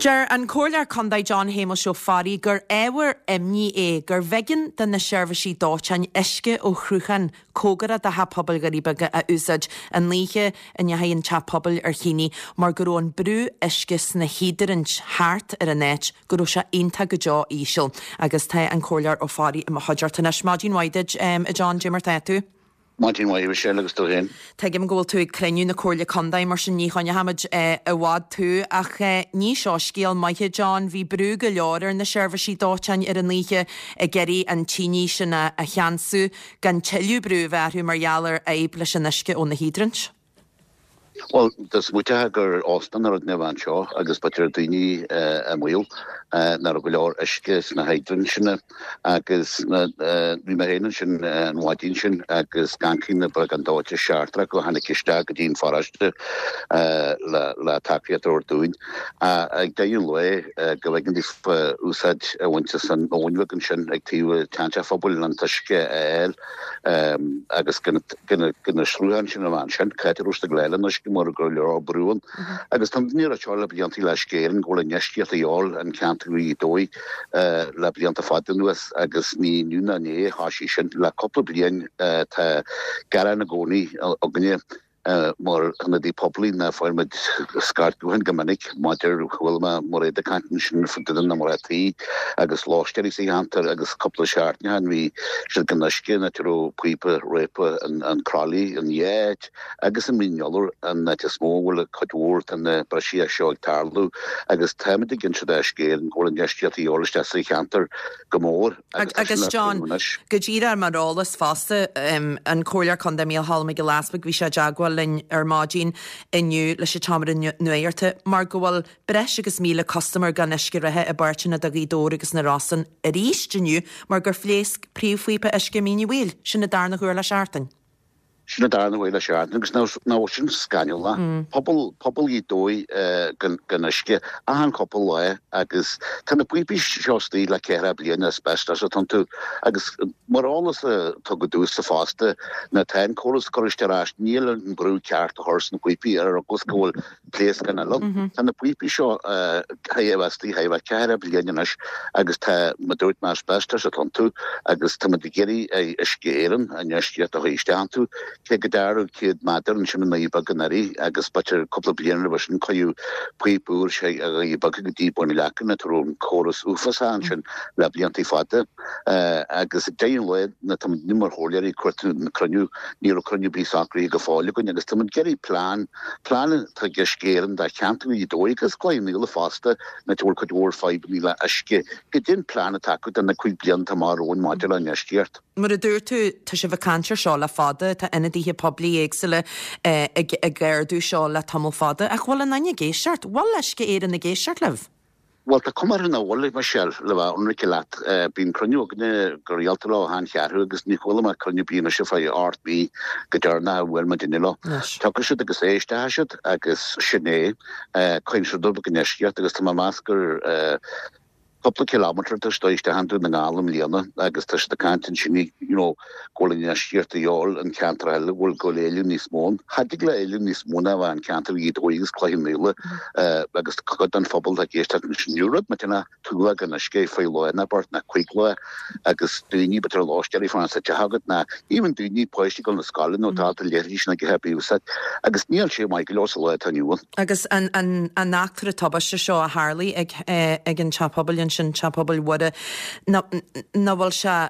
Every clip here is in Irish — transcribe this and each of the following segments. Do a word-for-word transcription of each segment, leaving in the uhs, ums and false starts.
Deir an Comhairleoir Contae John Shéamuis Ó Fearraigh gur ábhar imní é gur bh'éigean do na seirbhísí dóiteáin uisce ó shruthán cóngarach do theach pobail Dhoirí Beaga a úsáid an oíche a ndeachaigh an teach pobail ar thine mar go raibh an brú uisce sna hiodraint thart ar an áit go raibh sé iontach go deo íseal agus tá an Comhairleoir Ó Fearraigh i mo chuideachta anois. Maidin mhaith duit um, a John, cad é mar tá tú. Maidin mhaith Michelle agus tú féin. Tuigim go bhfuil tú ag cruinniú na Comhairle Contae mar sin ní choinneoimid eh, i bhfad tú ach eh, ní seo scéal maith John, bhí brú go leor ar na seirbhísí dóiteáin ar an oíche ag iarraidh an tine sin a, a cheansú gan tuilleadh brú a bheith orthu mar gheall ar fhadhb leis an uisce ó na hiodraint. Well dá smaointeofá gur óstán nó rud a bheadh anseo agus b'fhéidir daoine i mbaol nach raibh go leor uisce sna hiodraint sin agus bhí mé féin ansin an mhaidin sin agus gancaí na beagán dóite seachtrach go tháinig isteach go dtí an pharóiste le le tacaíocht a thabhairt dúinn. Ag deireadh an lae go bhfeiceann daofa úsáid a bhaint as an abhainn bheag ansin ag taobh an tseanteach phobail an t-uisce a fháil agus go na srutháin sin a bheith ansin, cá raibh siad ag fáil an uisce mar go leor brú ann. Agus tá ní seo le blianta le scéan go bhfuil infheistíocht a dhíobháil an ceantar Ghaoth Dobhair le blianta fada anuas agus ní inniu ná inné a thosaigh sin le cúpla bliain tá gearán i gcónaí againne mar ionadaí poiblí ná fuair muid scairt gutháin go minic maidir bhfuil mé mar é de caint sin duine na mar tí agus lóistéirí sa cheantar agus cúpla seachtain bhí siad gan uisce na raibh píopa réabtha an an Crolly an Dhéit agus an Mín Iolar an áit is mó bhfuil cuid mhór den na briseadh seo ag tarlú agus táimid ag inse dá scéal go bhfuil infheistíocht a dhíobháil isteach sa cheantar go mór agus agus John go díreach mar eolas fosta um, an Comhairleoir Contae Mícheál Mac Giolla Easbuig bhí sé i dteagmháil linn ar maidin inniu leis an tseomra nuachta mar go bhfuil breis agus míle custaiméir gan uisce reatha i bpáirteanna de Ghaoth Dobhair agus na Rosann arís inniu mar gur phléasc príomhphíopa uisce Mín Uí Bhaoill sin an darna huair le seachtain. Sin an darna huair le seachtain agus ná sin scannalach pobal pobal Ghaoth Dobhair gan gan uisce achan cúpla lá agus tá na píopaí seo istigh le ceithre bliana asbestos atá iontu agus mar eolas a tugadh domhsa fosta na tá an córas curtha ar ais níl an brú ceart a chur sna píopaí ar agus go bhfuil pléascán eile. Tá na píopaí seo istigh le ceithre bliana anois agus tá mar dúirt mé asbestos atá iontu agus tá muid ag iarraidh Uisce Éireann an infheistíocht a chur isteach iontu cé go ndearnadh céad méadar ansin i nDoirí Beaga anuraidh agus b'fhéidir cúpla bliain roimhe sin cuireadh píopa úr sé a Dhoirí Beaga go dtí Bun Leacan a raibh an córas uafásach ansin le blianta fada agus ag deireadh an lae na tá ní mar chomhairleoirí cuartú na cruinniú ní raibh cruinniú bí socraithe go fóill againn agus tá muid ag iarraidh plean plean atá ag Uisce Éireann do cheantar Ghaoth Dobhair agus Cloich Cheann Fhaola fosta na bhfuil cuid mhór fadhbanna le uisce go dtí plean atá acu do na cúig bliana amach romhainn maidir le infheistíocht. Mar a dúirt tú tá sibh ag caint air seo le fada tá ionadaithe poiblí éagsúla ag ag ardú seo le tamall fada ach bhfuil aon duine ag éisteacht, bhfuil Uisce Éireann ag éisteacht libh? Well tá cuma air nach bhfuil Michelle le bheith ionraic leat bíonn cruinniú againne go rialta leo achan cheathrú agus ní chuala mé cruinniú bíonn sé fá ocht mí go deireanach a bhfuil muid duine leo. Tiocfaidh siad agus éistfidh siad agus sin é cuireann siad go infheistíocht agus tá mé ag meas gur cúpla kilometer tá siad isteach i nDún na nGall i mbliana agus tá siad ag caint ansin you know go bhfuil infheistíocht a dhíobháil an ceantar eile bhfuil go éileamh níos mó. Cha dtig le éileamh níos mó ná bheith an ceantar Ghaoth Dobhair agus Cloich Cheann Fhaola agus cuid den phobal ag éisteacht ansin rud mar na tú gan uisce faoi lá na bort na cuig lá agus daoine b'fhéidir lóistéirí fan sa teach agat na even daoine páistí go na scoile nó tá a leithéid sin ag happy úsáid agus níl sé maith go leor sa lá atá inniu ann. Agus an an an eachtra tubaiste seo a tharlaigh ag ag an teach pobail ansin teach pobail Mhuire ná bhfuil sé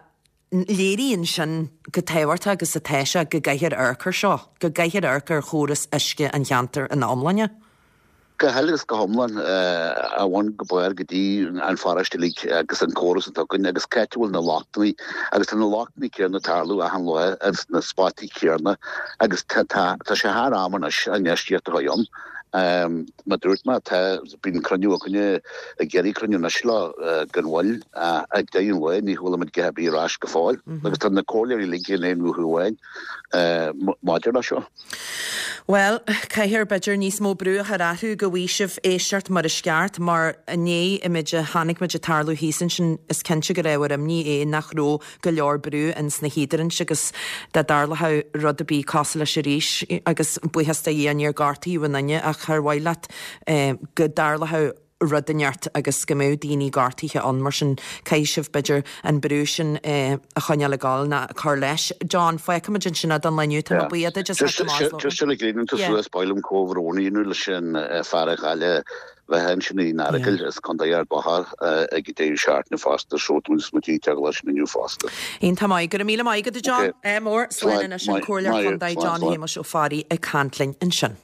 léiríonn sin chomh tábhachtach agus atá sé go gcaithfear amharc air seo, go gcaithfear amharc ar chóras uisce an cheantair ina iomláine. Go huile is go hiomlán a bhain go barr go dtí an pharóiste uilig agus an córas atá againn agus cá bhfuil na lochtanna agus tá na lochtanna céanna ag tarlú achan lá agus na spotaí céanna agus tá tá sé thar am anois an infheistíocht a chur ann. Um, mar dúirt mé tá bíonn cruinniú againne ag iarraidh cruinniú anois leo gan mhoill ag deireadh an lae ní chuala muid go bí ar ais go fóill agus tá na comhairleoirí uilig in aon ghuth amháin maidir le seo. Well, caithfear b'fhéidir níos mó brú a chur orthu go bhfaighidh sibh éisteacht mar is ceart mar inné muid a chonaic muid ag tarlú thíos ansin is cinnte go raibh ar imní é nach raibh go leor brú ins na hiodraint agus dá dtarlódh rud a bhí cosúil leis arís agus buíochas do Dhia níor gortaíodh aon duine ach ar mhaith leat go dtarlódh rud inteacht agus go mbeadh daoine gortaithe ann mar sin caithfidh sibh b'fhéidir an brú sin a choinneáil ag dul ná cur leis. John, fágfaimid ansin é don lá inniu, tá mé buíoch duit as ucht am Just sula gcríochnaíonn tú suas, ba mhaith liom comhbhrón a dhéanamh leis an fear a cailleadh bheith ansin in Earagail as Contae Ard Mhacha ag an deireadh seachtaine fosta so tá muid ag teagmháil leis inniu fosta. Iontach maith, go raibh míle maith agat a John. Ádh mór, slán anois an Comhairleoir Contae John Shéamuis Ó Fearraigh ag caint linn ansin.